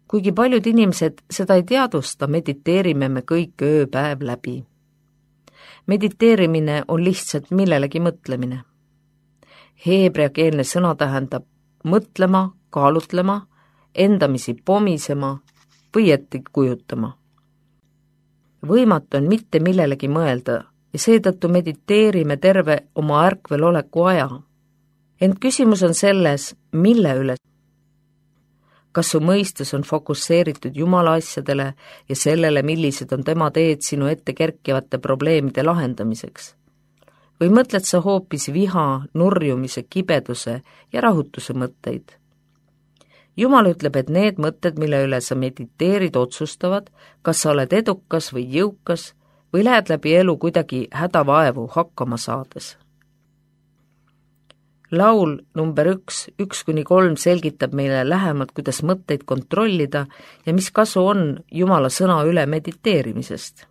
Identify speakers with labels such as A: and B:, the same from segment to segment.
A: Kuigi paljud inimesed seda ei teadvusta, mediteerime me kõik ööpäev läbi. Mediteerimine on lihtsalt millelegi mõtlemine. Heebreakeelne sõna tähendab mõtlema, kaalutlema, endamisi pomisema või ette kujutama. Võimatu on mitte millelegi mõelda ja seetõttu mediteerime terve oma ärkveloleku aja. Ent küsimus on selles, mille üle. Kas su mõistus on fokusseeritud Jumala asjadele ja sellele, millised on tema teed sinu ette kerkivate probleemide lahendamiseks? Või mõtled sa hoopis viha, nurjumise, kibeduse ja rahutuse mõtteid? Jumal ütleb, et need mõtted, mille üle sa mediteerid, otsustavad, kas sa oled edukas või jõukas või lähed läbi elu kuidagi hädavaevu hakkama saades. Laul number 1:1-3 selgitab meile lähemalt, kuidas mõtteid kontrollida ja mis kasu on Jumala sõna üle mediteerimisest.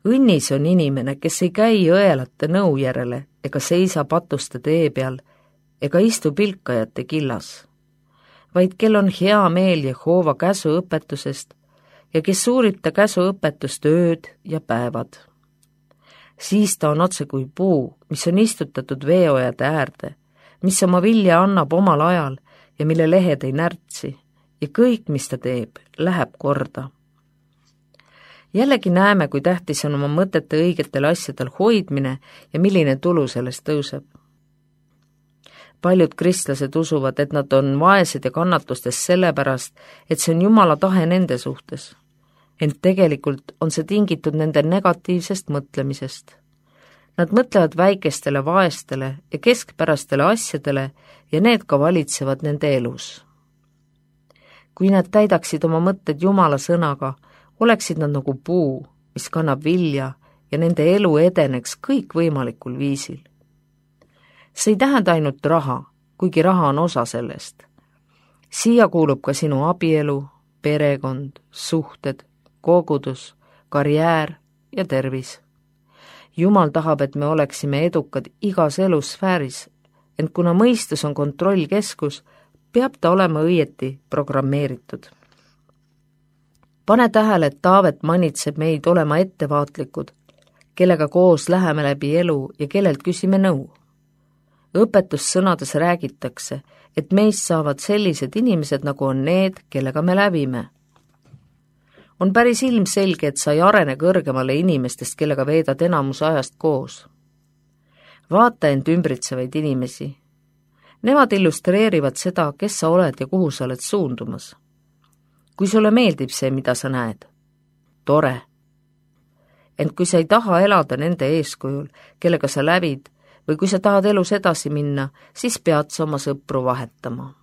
A: Õnnis on inimene, kes ei käi õelate nõu järele ega seisa patuste tee peal ega istu pilkajate killas, vaid kel on hea meel Jehova käsu õpetusest ja kes uurib ta käsu õpetust ööd ja päevad. Siis ta on otse kui puu, mis on istutatud veeojade äärde, mis oma vilja annab omal ajal ja mille lehed ei närtsi ja kõik, mis ta teeb, läheb korda. Jällegi näeme, kui tähtis on oma mõtete õigetel asjadel hoidmine ja milline tulu sellest tõuseb. Paljud kristlased usuvad, et nad on vaesed ja kannatustes sellepärast, et see on Jumala tahe nende suhtes. Ent tegelikult on see tingitud nende negatiivsest mõtlemisest. Nad mõtlevad väikestele, vaestele ja keskpärastele asjadele ja need ka valitsevad nende elus. Kui nad täidaksid oma mõtted Jumala sõnaga, oleksid nad nagu puu, mis kannab vilja ja nende elu edeneks kõikvõimalikul viisil. See ei tähenda ainult raha, kuigi raha on osa sellest. Siia kuulub ka sinu abielu, perekond, suhted, kogudus, karjäär ja tervis. Jumal tahab, et me oleksime edukad igas elusfääris, ent kuna mõistus on kontrollkeskus, peab ta olema õieti programmeeritud. Pane tähele, et Taavet manitseb meid olema ettevaatlikud, kellega koos läheme läbi elu ja kellelt küsime nõu. Õpetussõnades räägitakse, et meist saavad sellised inimesed, nagu on need, kellega me läbime. On päris ilmselge, et sa ei arene kõrgemale inimestest, kellega veedad enamus ajast koos. Vaata end ümbritsevaid inimesi. Nemad illustreerivad seda, kes sa oled ja kuhu sa oled suundumas. Kui sulle meeldib see, mida sa näed, tore. Ent kui sa ei taha elada nende eeskujul, kellega sa läbid, või kui sa tahad elus edasi minna, siis pead sa oma sõpru vahetama.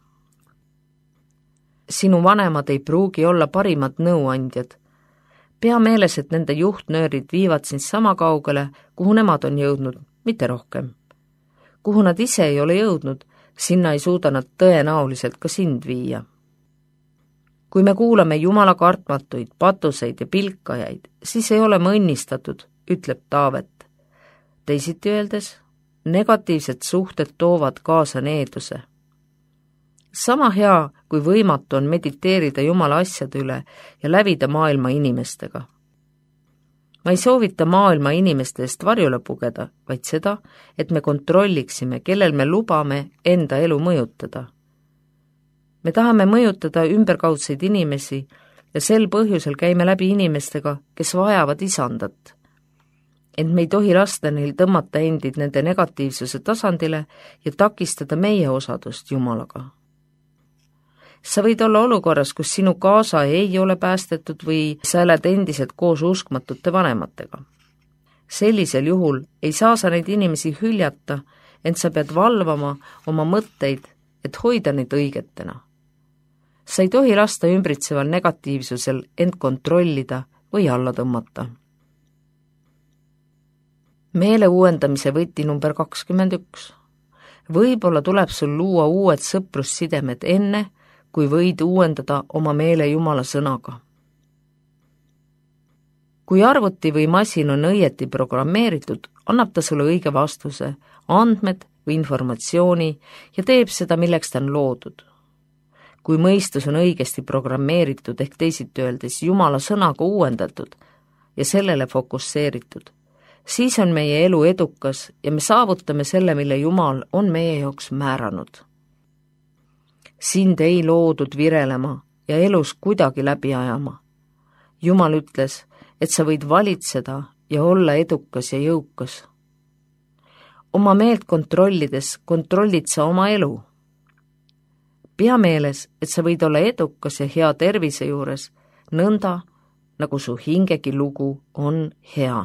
A: Sinu vanemad ei pruugi olla parimad nõuandjad. Pea meeles, et nende juhtnöörid viivad sind sama kaugele, kuhu nemad on jõudnud, mitte rohkem. Kuhu nad ise ei ole jõudnud, sinna ei suuda nad tõenäoliselt ka sind viia. Kui me kuulame Jumala kartmatuid, patuseid ja pilkajaid, siis ei ole me õnnistatud, ütleb Taavet. Teisiti öeldes, negatiivsed suhted toovad kaasa needuse. Sama hea kui võimatu on mediteerida Jumala asjade üle ja lävida maailma inimestega. Ma ei soovita maailma inimeste eest varjule pugeda, vaid seda, et me kontrolliksime, kellel me lubame enda elu mõjutada. Me tahame mõjutada ümberkaudseid inimesi ja sel põhjusel käime läbi inimestega, kes vajavad isandat. Ent me ei tohi lasta neil tõmmata endid nende negatiivsuse tasandile ja takistada meie osadust Jumalaga. Sa võid olla olukorras, kus sinu kaasa ei ole päästetud või sa elad endiselt koos uskmatute vanematega. Sellisel juhul ei saa sa neid inimesi hüljata, ent sa pead valvama oma mõtteid, et hoida neid õigetena. Sa ei tohi lasta ümbritseval negatiivsusel end kontrollida või alla tõmmata. Meele uuendamise võti number 21. Võib-olla tuleb sul luua uued sõprussidemed enne, kui võid uuendada oma meele Jumala sõnaga. Kui arvuti või masin on õieti programmeeritud, annab ta sulle õige vastuse, andmed või informatsiooni ja teeb seda, milleks ta on loodud. kui mõistus on õigesti programmeeritud ehk teisiti öeldes Jumala sõnaga uuendatud ja sellele fokusseeritud, siis on meie elu edukas ja me saavutame selle, mille Jumal on meie jaoks määranud. Sind ei loodud virelema ja elus kuidagi läbi ajama. Jumal ütles, et sa võid valitseda ja olla edukas ja jõukas. Oma meelt kontrollides kontrollid sa oma elu. Pea meeles, et sa võid olla edukas ja hea tervise juures, nõnda, nagu su hingegi lugu on hea.